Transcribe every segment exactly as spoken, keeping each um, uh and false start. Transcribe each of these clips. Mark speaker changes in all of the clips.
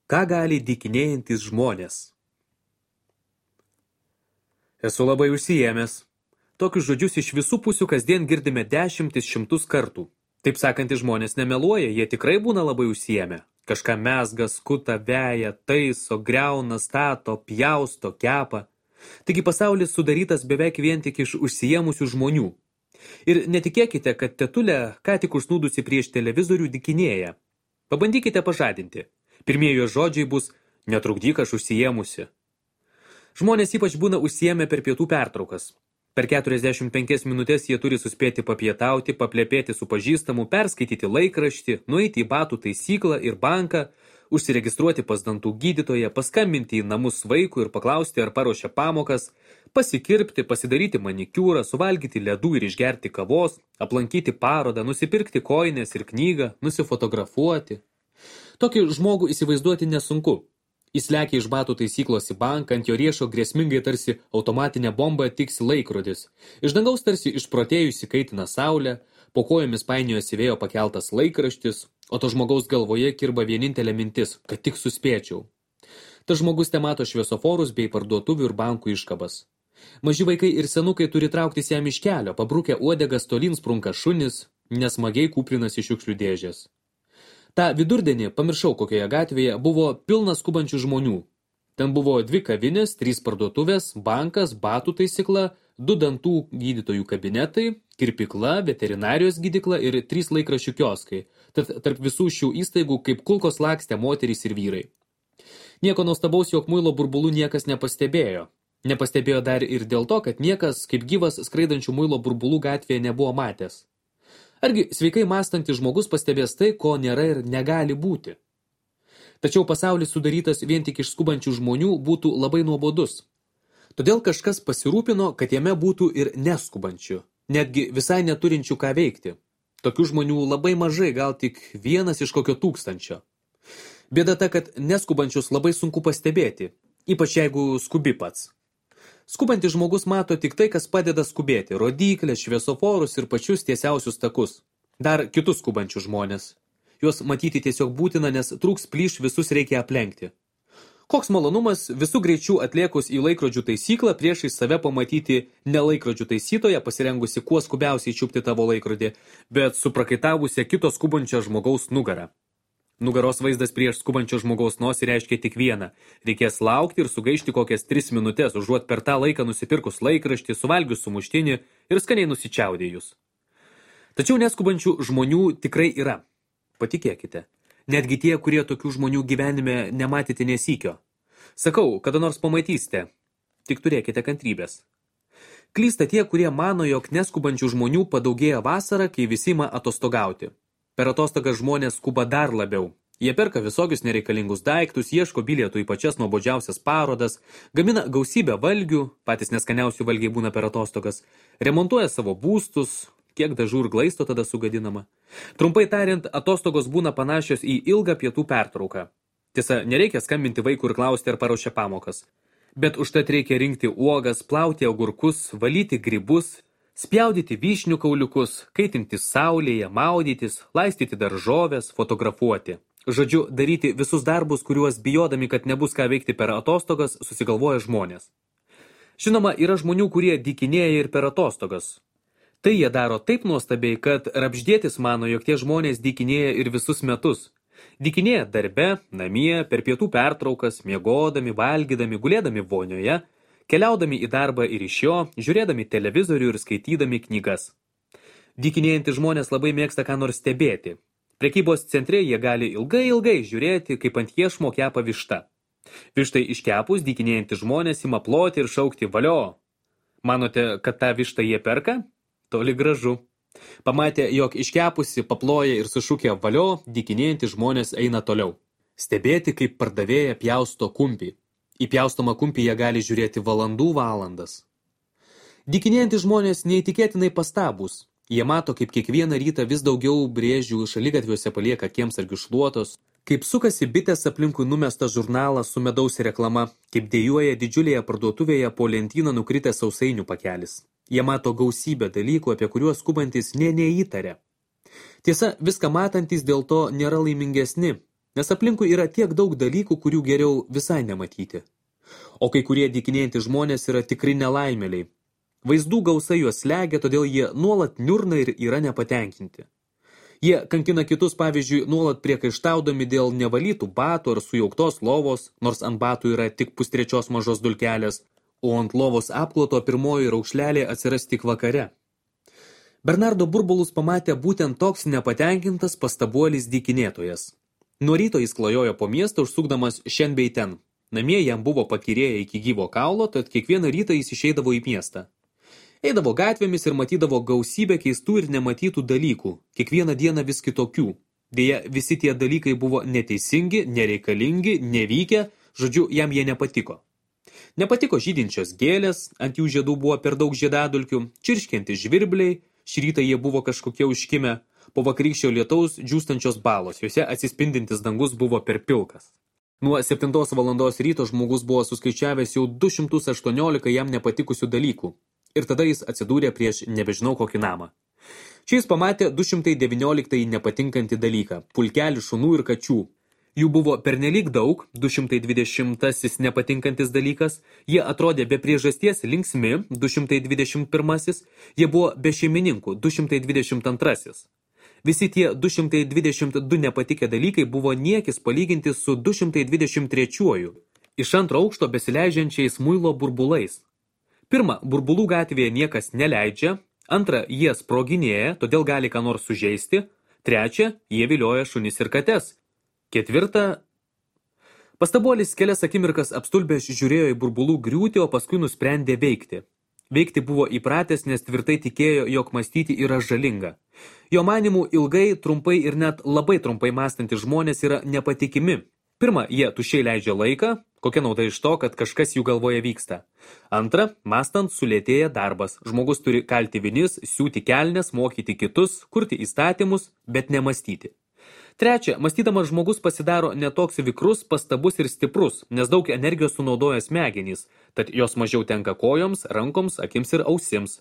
Speaker 1: Ką gali dykinėjantis žmonės? Esu labai užsiėmęs. Tokius žodžius iš visų pusių kasdien girdime dešimtis šimtus kartų. Taip sakantys žmonės nemeluoja, jie tikrai būna labai užsiėmę. Kažką mezga, skuta, veja, taiso, griauna, stato, pjausto, kepa. Taigi pasaulis sudarytas beveik vien tik iš užsiėmusių žmonių. Ir netikėkite, kad tetulė, ką tik užsnūdusi prieš televizorių, dykinėja. Pabandykite pažadinti. Pirmieji žodžiai bus netrukdyk, aš užsiėmusi. Žmonės ypač būna užsiėmę per pietų pertraukas. Per keturiasdešimt penkias minutės jie turi suspėti papietauti, paplepėti su pažįstamu, perskaityti laikraštį, nueiti į batų taisyklą ir banką, užsiregistruoti pas dantų gydytoją, paskambinti į namus vaikui ir paklausti, ar paruošia pamokas, pasikirpti, pasidaryti manikiūrą, suvalgyti ledų ir išgerti kavos, aplankyti parodą, nusipirkti kojines ir knygą, nusifotografuoti. Tokį žmogų įsivaizduoti nesunku. Jis lekia iš batų taisyklos į banką, ant jo riešo grėsmingai tarsi automatinė bomba tiksi laikrodis. Iš dangaus tarsi išprotėjusi kaitina saulę, po kojomis painiojosi vėjo pakeltas laikraštis, o to žmogaus galvoje kirba vienintelė mintis, kad tik suspėčiau. Tas žmogus temato šviesoforus bei parduotuvių ir bankų iškabas. Maži vaikai ir senukai turi trauktis jam iš kelio, pabrukę uodegas tolyn sprunka šunis, nesmagiai kūprinasi šiukšlių dėžės. Ta vidurdienį, pamiršau kokioje gatvėje, buvo pilnas skubančių žmonių. Ten buvo dvi kavinės, trys parduotuvės, bankas, batų taisykla, du dantų gydytojų kabinetai, kirpykla, veterinarijos gydykla ir trys laikraščių kioskai. Tad tarp visų šių įstaigų kaip kulkos lakstė moterys ir vyrai. Nieko nuostabaus, jog muilo burbulų niekas nepastebėjo. Nepastebėjo dar ir dėl to, kad niekas kaip gyvas skraidančių muilo burbulų gatvėje nebuvo matęs. Argi sveikai mąstantis žmogus pastebės tai, ko nėra ir negali būti. Tačiau pasaulis sudarytas vien tik iš skubančių žmonių būtų labai nuobodus. Todėl kažkas pasirūpino, kad jame būtų ir neskubančių, netgi visai neturinčių ką veikti. Tokių žmonių labai mažai, gal tik vienas iš kokio tūkstančio. Bėda ta, kad neskubančius labai sunku pastebėti, ypač jeigu skubi pats. Skubantis žmogus mato tik tai, kas padeda skubėti – rodyklės, šviesoforus ir pačius tiesiausius takus. Dar kitus skubančius žmonės. Juos matyti tiesiog būtina, nes trūks plyš visus reikia aplenkti. Koks malonumas visų greičių atliekus į laikrodžių taisyklą priešais save pamatyti ne laikrodžių taisytoje, pasirengusi kuo skubiausiai čiupti tavo laikrodį, bet suprakaitavusią kito skubančio žmogaus nugarą. Nugaros vaizdas prieš skubančio žmogaus nosį reiškia tik vieną. Reikės laukti ir sugaišti kokias tris minutės, užuot per tą laiką nusipirkus laikraštį, suvalgius sumuštinį ir skaniai nusičiaudėjus. Tačiau neskubančių žmonių tikrai yra. Patikėkite. Netgi tie, kurie tokių žmonių gyvenime nematėte nesykio. Sakau, kada nors pamatysite. Tik turėkite kantrybės. Klysta tie, kurie mano, jog neskubančių žmonių padaugėja vasarą, kai visi ima atostogauti. Per atostogas žmonės skuba dar labiau. Jie perka visokius nereikalingus daiktus, ieško bilietų į pačias nuobodžiausias parodas, gamina gausybę valgių, patys neskaniausių valgiai būna per atostogas, remontuoja savo būstus, kiek dažų ir glaisto tada sugadinama. Trumpai tariant, atostogos būna panašios į ilgą pietų pertrauką. Tiesa, nereikia skambinti vaikų ir klausti, ar paruošia pamokas. Bet užtat reikia rinkti uogas, plauti agurkus, valyti grybus, spjaudyti vyšnių kauliukus, kaitinti saulėje, maudytis, laistyti daržovės, fotografuoti. Žodžiu, daryti visus darbus, kuriuos bijodami, kad nebus ką veikti per atostogas, susigalvoja žmonės. Žinoma, yra žmonių, kurie dykinėja ir per atostogas. Tai jie daro taip nuostabiai, kad Rapždėtis mano, jog tie žmonės dykinėja ir visus metus. Dykinėja darbe, namie, per pietų pertraukas, miegodami, valgydami, gulėdami vonioje, keliaudami į darbą ir iš jo, žiūrėdami televizorių ir skaitydami knygas. Dykinėjantys žmonės labai mėgsta ką nors stebėti. Prekybos centre jie gali ilgai ilgai žiūrėti, kaip ant iešmo kepa višta. Vištai iškepus dykinėjantys žmonės ima ploti ir šaukti valio. Manote, kad tą vištą jie perka? Toli gražu. Pamatė, jog iškepusi paploja ir sušūkė valio, dykinėjantys žmonės eina toliau. Stebėti, kaip pardavėja pjausto kumpį. Į pjaustomą kumpį jie gali žiūrėti valandų valandas. Dykinėjantys žmonės neįtikėtinai pastabūs. Jie mato, kaip kiekvieną rytą vis daugiau brėžių šaligatviuose palieka kiemsargių šluotos, kaip sukasi bitės aplinkui numestą žurnalą su medaus reklama, kaip dėjuoja didžiulėje parduotuvėje po lentyną nukritęs sausainių pakelis. Jie mato gausybę dalykų, apie kuriuos skubantis nė neįtarė. Tiesa, viską matantis dėl to nėra laimingesni, nes aplinkui yra tiek daug dalykų, kurių geriau visai nematyti. O kai kurie dykinėjantys žmonės yra tikri nelaimėliai. Vaizdų gausa juos slegia, todėl jie nuolat niurna ir yra nepatenkinti. Jie kankina kitus, pavyzdžiui, nuolat priekaištaudami dėl nevalytų batų ar sujauktos lovos, nors ant batų yra tik pustrečios mažos dulkelės, o ant lovos apkloto pirmoji raukšlelė atsiras tik vakare. Bernardo burbulus pamatė būtent toks nepatenkintas pastabuolis dykinėtojas. Nuo ryto jis klajojo po miestą, užsukdamas šen bei ten. Namie jam buvo pakyrėję iki gyvo kaulo, tad kiekvieną rytą jis išeidavo į miestą. Eidavo gatvėmis ir matydavo gausybę keistų ir nematytų dalykų, kiekvieną dieną vis kitokių. Deja, visi tie dalykai buvo neteisingi, nereikalingi, nevykę, žodžiu, jam jie nepatiko. Nepatiko žydinčios gėlės, ant jų žiedų buvo per daug žiedadulkių, čirškiantis žvirbliai, šį rytą jie buvo kažkokie užkimę, po vakarykščio lietaus džiūstančios balos, juose atsispindintis dangus buvo per pilkas. Nuo septintos valandos ryto žmogus buvo suskaičiavęs jau du šimtus aštuoniolika jam nepatikusių dalykų. Ir tada jis atsidūrė prieš nebežinau kokį namą. Čia jis pamatė du šimtai devynioliktąjį nepatinkantį dalyką – pulkelį šunų ir kačių. Jų buvo pernelyg daug, du šimtai dvidešimtasis nepatinkantis dalykas, jie atrodė be priežasties linksmi, du šimtai dvidešimt pirmasis, jie buvo be šeimininkų, du šimtai dvidešimt antrasis. Visi tie du šimtai dvidešimt du nepatikę dalykai buvo niekis palyginti su du šimtai dvidešimt trečiuoju, iš antro aukšto besileidžiančiais muilo burbulais. Pirma, burbulų gatvėje niekas neleidžia, antra, jie sproginėja, todėl gali ką nors sužeisti, trečia, jie vilioja šunis ir kates, ketvirta. Pastabuolis kelias akimirkas apstulbęs žiūrėjo į burbulų griūtį, o paskui nusprendė veikti. Veikti buvo įpratęs, nes tvirtai tikėjo, jog mąstyti yra žalinga. Jo manimų ilgai, trumpai ir net labai trumpai mąstantys žmonės yra nepatikimi. Pirma, jie tuščiai leidžia laiką, kokia nauda iš to, kad kažkas jų galvoje vyksta. Antra, mąstant sulėtėja darbas. Žmogus turi kalti vinis, siūti kelnes, mokyti kitus, kurti įstatymus, bet nemąstyti. Trečia, mąstydamas žmogus pasidaro netoks vikrus, pastabus ir stiprus, nes daug energijos sunaudoja smegenys, tad jos mažiau tenka kojoms, rankoms, akims ir ausims.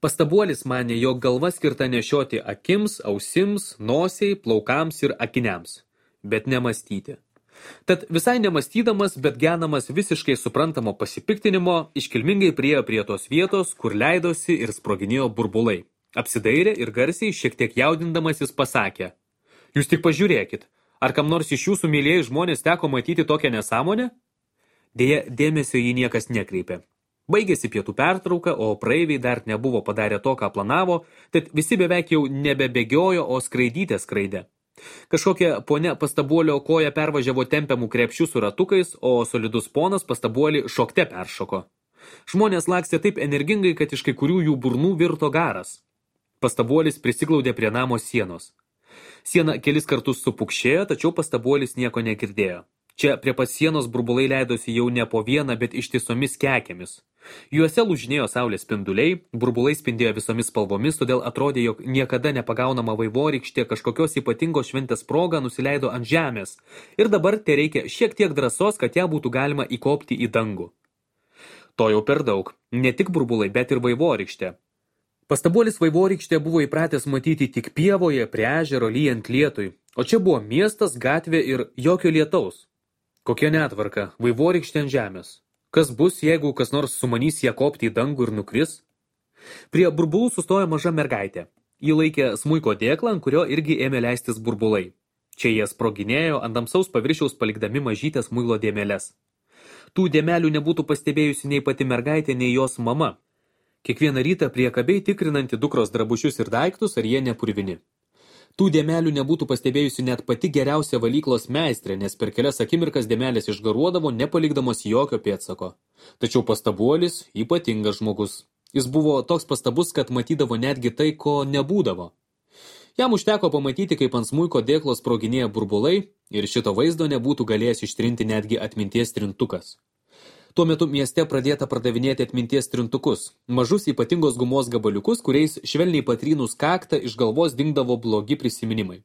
Speaker 1: Pastabuolis manė, jog galva skirta nešioti akims, ausims, nosiai, plaukams ir akiniams, bet nemąstyti. Tad visai nemąstydamas, bet genamas visiškai suprantamo pasipiktinimo, iškilmingai priėjo prie tos vietos, kur leidosi ir sproginėjo burbulai. Apsidairė ir garsiai, šiek tiek jaudindamas jis pasakė: Jūs tik pažiūrėkit, ar kam nors iš jūsų mylėjai žmonės teko matyti tokią nesąmonę? Deja, dėmesio jį niekas nekreipė. Baigėsi pietų pertrauka, o praeiviai dar nebuvo padarę to, ką planavo, tad visi beveik jau nebebėgiojo, o skraidytė skraidė. Kažkokia ponia pastabuolio koja pervažiavo tempiamų krepšių su ratukais, o solidus ponas pastabuolį šokte peršoko. Žmonės lakstė taip energingai, kad iš kai kurių jų burnų virto garas. Pastabuolis prisiglaudė prie namo sienos. Siena kelis kartus supukšėjo, tačiau pastabuolis nieko negirdėjo. Čia prie pat sienos burbulai leidosi jau ne po vieną, bet ištisomis kekėmis. Juose lūžinėjo saulės spinduliai, burbulai spindėjo visomis spalvomis, todėl atrodė, jog niekada nepagaunama vaivorykštė kažkokios ypatingos šventės proga nusileido ant žemės. Ir dabar te reikia šiek tiek drąsos, kad ją būtų galima įkopti į dangų. To jau per daug. Ne tik burbulai, bet ir vaivorykštė. Pastabuolis vaivorykštė buvo įpratęs matyti tik pievoje, prie ežero, lyjant lietui, o čia buvo miestas, gatvė ir jokio lietaus. Kokia netvarka, vaivorykštė ant žemės. Kas bus, jeigu kas nors sumanys ją kopti į dangų ir nukris? Prie burbulų sustojo maža mergaitė. Ji laikė smuiko dėklą, ant kurio irgi ėmė leistis burbulai. Čia jie sproginėjo ant tamsaus paviršiaus palikdami mažytės muilo dėmeles. Tų dėmelių nebūtų pastebėjusi nei pati mergaitė, nei jos mama. Kiekvieną rytą priekabiai tikrinanti dukros drabužius ir daiktus, ar jie nepurvini. Tų dėmelių nebūtų pastebėjusi net pati geriausia valyklos meistrė, nes per kelias akimirkas dėmelės išgaruodavo, nepalikdamos jokio pėdsako. Tačiau pastabuolis ypatingas žmogus. Jis buvo toks pastabus, kad matydavo netgi tai, ko nebūdavo. Jam užteko pamatyti, kaip ant smuiko dėklos sproginėja burbulai, ir šito vaizdo nebūtų galėjęs ištrinti netgi atminties trintukas. Tuo metu mieste pradėta pardavinėti atminties trintukus, mažus ypatingos gumos gabaliukus, kuriais švelniai patrynus kaktą iš galvos dingdavo blogi prisiminimai.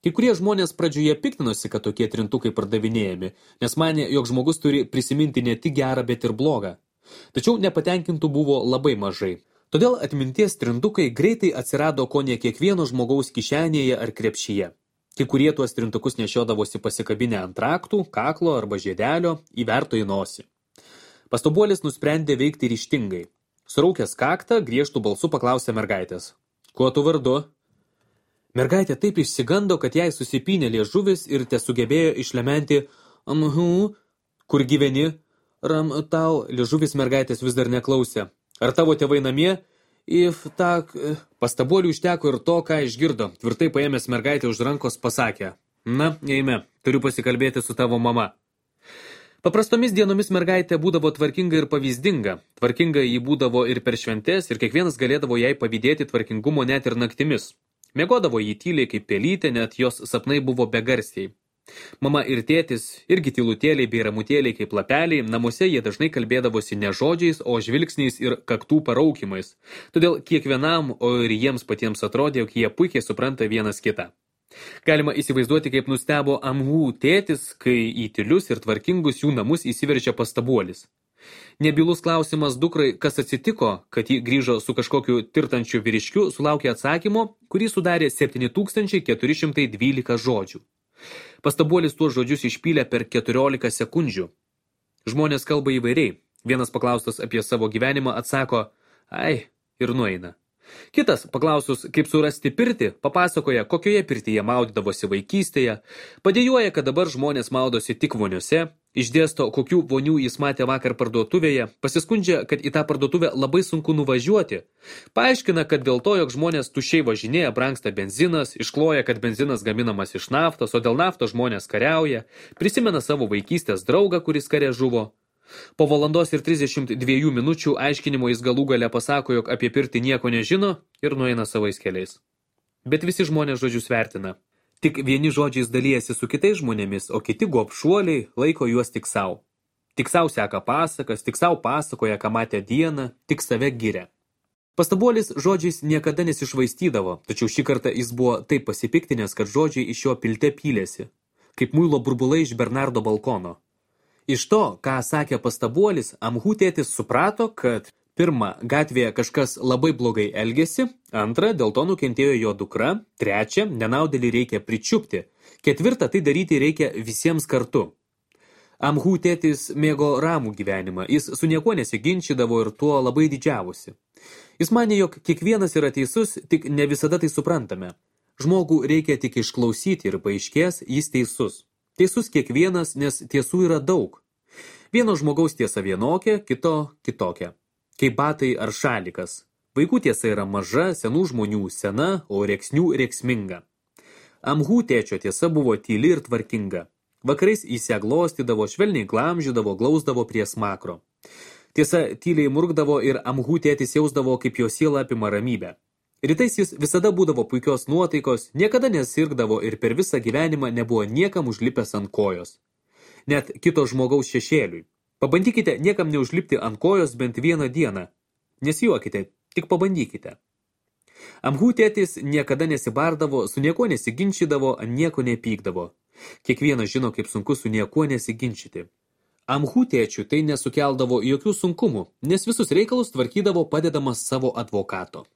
Speaker 1: Kai kurie žmonės pradžioje piktinosi, kad tokie trintukai pardavinėjami, nes manė, jog žmogus turi prisiminti ne tik gerą, bet ir blogą. Tačiau nepatenkintų buvo labai mažai. Todėl atminties trintukai greitai atsirado kone kiekvieno žmogaus kišenėje ar krepšyje. Kai kurie tuos trintukus nešiodavosi pasikabinę ant raktų, kaklo arba žiedelio, įverto į nosį. Pastabuolis nusprendė veikti ryžtingai. Suraukęs kaktą, griežtų balsu paklausė mergaitės. Kuo tu vardu? Mergaitė taip išsigando, kad jai susipynė liežuvis ir tesugebėjo išlementi amhu, kur gyveni, ram tau, liežuvis mergaitės vis dar neklausė. Ar tavo tėvai namie? If tak, pastabuoliui užteko ir to, ką išgirdo. Tvirtai paėmęs mergaitę už rankos pasakė. Na, eime, turiu pasikalbėti su tavo mama. Paprastomis dienomis mergaitė būdavo tvarkinga ir pavyzdinga. Tvarkinga jį būdavo ir per šventes, ir kiekvienas galėdavo jai pavydėti tvarkingumo net ir naktimis. Miegodavo jį tyliai kaip pelytė, net jos sapnai buvo begarsiai. Mama ir tėtis, irgi tylutėliai bei ramutėliai kaip lapeliai, namuose jie dažnai kalbėdavosi ne žodžiais, o žvilgsniais ir kaktų paraukimais. Todėl kiekvienam, o ir jiems patiems atrodė, jog jie puikiai supranta vienas kitą. Galima įsivaizduoti, kaip nustebo amhų tėtis, kai į tylius ir tvarkingus jų namus įsiveržė pastabuolis. Nebylus klausimas dukrai, kas atsitiko, kad ji grįžo su kažkokiu tirtančiu vyriškiu, sulaukė atsakymo, kurį sudarė septyni tūkstančiai keturi šimtai dvylika žodžių. Pastabuolis tuos žodžius išpylė per keturiolika sekundžių. Žmonės kalba įvairiai. Vienas paklaustas apie savo gyvenimą atsako, ai, ir nueina. Kitas, paklausus, kaip surasti pirtį, papasakoja, kokioje pirtyje maudydavosi vaikystėje, padėjuoja, kad dabar žmonės maudosi tik voniuose, išdėsto, kokių vonių jis matė vakar parduotuvėje, pasiskundžia, kad į tą parduotuvę labai sunku nuvažiuoti, paaiškina, kad dėl to, jog žmonės tuščiai važinėja, brangsta benzinas, iškloja, kad benzinas gaminamas iš naftos, o dėl naftos žmonės kariauja, prisimena savo vaikystės draugą, kuris kare žuvo. Po valandos ir trisdešimt dviejų minučių aiškinimo jis galų gale pasako, jog apie pirtį nieko nežino ir nueina savais keliais. Bet visi žmonės žodžius vertina. Tik vieni žodžiais dalyjasi su kitais žmonėmis, o kiti gobšuoliai laiko juos tik savo. Tik savo seka pasakas, tik savo pasakoja, ką matė dieną, tik save giria. Pastabuolis žodžiais niekada nesišvaistydavo, tačiau šį kartą jis buvo taip pasipiktinęs, kad žodžiai iš jo pilte pylėsi, kaip muilo burbulai iš Bernardo balkono. Iš to, ką sakė pastabuolis, amhų tėtis suprato, kad pirma, gatvėje kažkas labai blogai elgėsi, antra, dėl to nukentėjo jo dukra, trečia, nenaudėlį reikia pričiupti, ketvirta, tai daryti reikia visiems kartu. Amhų tėtis mėgo ramų gyvenimą, jis su niekuo nesiginčydavo ir tuo labai didžiavosi. Jis manė, jog kiekvienas yra teisus, tik ne visada tai suprantame. Žmogų reikia tik išklausyti ir paaiškės, jis teisus. Teisus kiekvienas, nes tiesų yra daug. Vieno žmogaus tiesa vienokia, kito kitokia. Kaip batai ar šalikas. Vaikų tiesa yra maža, senų žmonių sena, o rėksnių rėksminga. Amhų tėčio tiesa buvo tyli ir tvarkinga. Vakarais jis ją glostydavo, švelniai glamžydavo, glausdavo prie smakro. Tiesa, tyliai murkdavo ir amhų tėtis jausdavo, kaip jo siela apima ramybę. Rytais jis visada būdavo puikios nuotaikos, niekada nesirgdavo ir per visą gyvenimą nebuvo niekam užlipęs ant kojos. Net kito žmogaus šešėliui. Pabandykite niekam neužlipti ant kojos bent vieną dieną. Nesijuokite, tik pabandykite. Amhų tėtis niekada nesibardavo, su niekuo nesiginčydavo, ant nieko nepykdavo. Kiekvienas žino, kaip sunku su niekuo nesiginčyti. Amhų tėčių tai nesukeldavo jokių sunkumų, nes visus reikalus tvarkydavo padedamas savo advokato.